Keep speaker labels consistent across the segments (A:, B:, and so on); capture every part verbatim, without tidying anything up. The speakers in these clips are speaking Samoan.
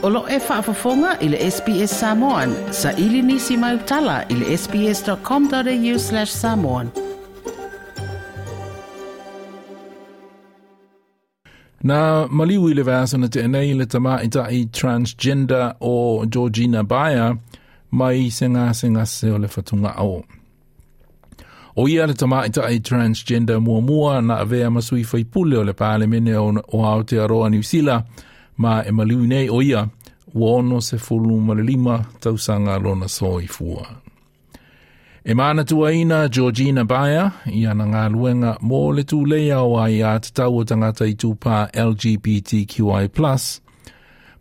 A: O lo e faafofoga i le S B S Samoan, sa ili nisi mai utala i le S B S dot com dot A U slash samoan.
B: Na maliu i le vaiaso na tea nei le tamaita'i transgender o Georgina Beyer mai se gasegase o le fatugao. O ia le tamaita'i transgender muamua na avea ma sui faipule o le Palemene o, o Aotearoa Niu Sila ma e maliu nei o ia ua ono sefulu ma le lima tausaga lona soifua. E manatuaina Georgina Beyer i ana galuega mo le tuleia o aiā tatau o tagata itupā L G B T Q I plus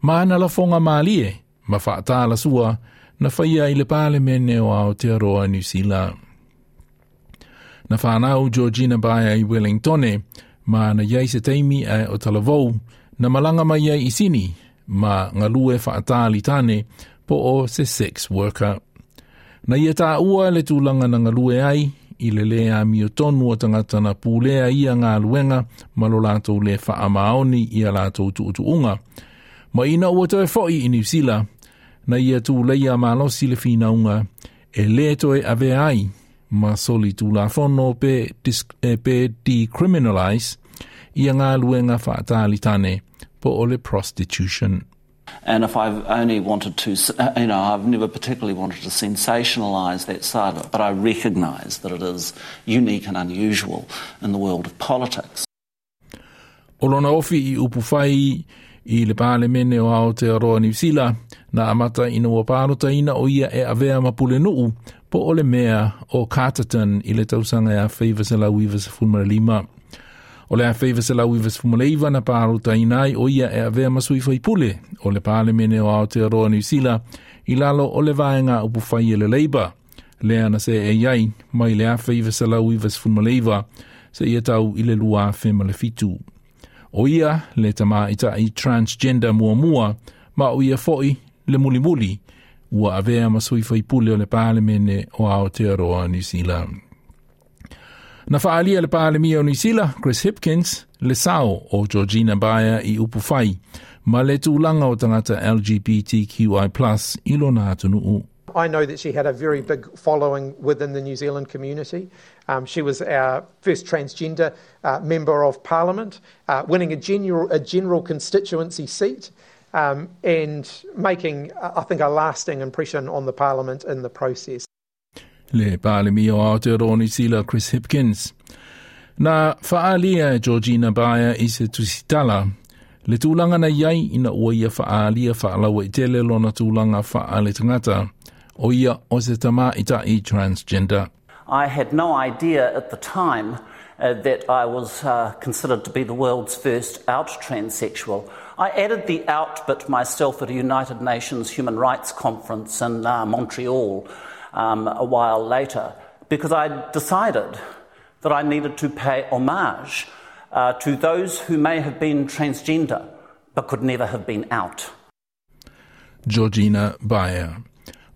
B: ma ana lafoga malie ma faatalasua na faia i le Palemene o Aotearoa Niu Sila. Na whanau Georgina Beyer i Wellingtone, ma na iai se taimi e o talavou, na malanga mai ai i Sini, ma galue faatalitane po o se sex worker. Na ia taua le tulaga na galue ai, i le le amiotonu o tagata na pulea ia galuega ma lo latou le faamaoni ia latou tuutuuga. Ma ina ua toe foi i Niu Sila, na ia tuleia malosi le finauga e le toe avea ai ma soli tulafono pe, dis, e, pe decriminalize ia galuega faatalitane po o le prostitution.
C: And if I've only wanted to, you know, I've never particularly wanted to sensationalise that side of it, but I recognise that it is unique and unusual in the world of politics.
B: O lona ofi i upu fai i le Palemene o Aotearoa Niu Sila, na amata ina ua palotaina o ia e avea ma pulenuu po o le mea o Carterton i le tausaga e afe iva selau iva sefulu ma le lima. O le afe iva selau iva sefulu ma le iva na palotaina ai o ia e avea ma sui faipule o le Palemene o Aotearoa Niu Sila i lalo o le vaega upu fai e le Labour. Lea na seei ai mai le afe iva selau iva sefulu ma le iva seia tau i le lua afe ma le fitu. O ia le tamaita'i transgender muamua ma o ia foi le mulimuli ua avea ma sui faipule o le Palemene o Aotearoa Niu Sila. Na faalia le Palemia o Niu Sila, Chris Hipkins, le sao o Georgina Beyer i upu fai ma le tulaga o tagata L G B T Q I plus i lona atunuu.
D: I know that she had a very big following within the New Zealand community. Um, she was our first transgender uh, member of parliament, uh, winning a general, a general constituency seat um, and making, I think, a lasting impression on the parliament in the process.
B: Le Palemia o Aotearoa Niu Sila Chris Hipkins. Na faalia e Georgina Beyer i se tusitala, le tulaga na iai ina ua ia faalia faalauaitele lona tulaga faale tagata, o ia o se tamaita'i transgender.
C: I had no idea at the time uh, that I was uh, considered to be the world's first out transsexual. I added the out bit myself at a United Nations Human Rights Conference in uh, Montreal um, a while later because I decided that I needed to pay homage uh, to those who may have been transgender but could never have been out.
B: Georgina Beyer.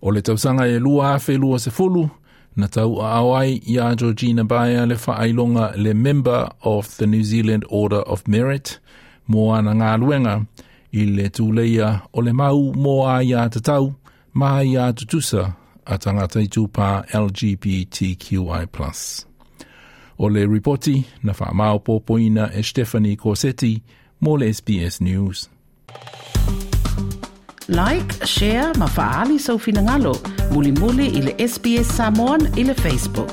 B: O le tausaga e lua afe lua sefulu, na tauaao ai iā Georgina Beyer le faailoga le Member of the New Zealand Order of Merit mo ana galuega i le tuleia o le mau mo aiā tatau ma aiā tutusa a tagata itupā L G B T Q I plus. O le ripoti na faamaopoopoina e Stephanie Corsetti mo le S B S News.
A: Like, share ma faaali sou finagalo. Mulimuli i le S B S Samoan i le Facebook.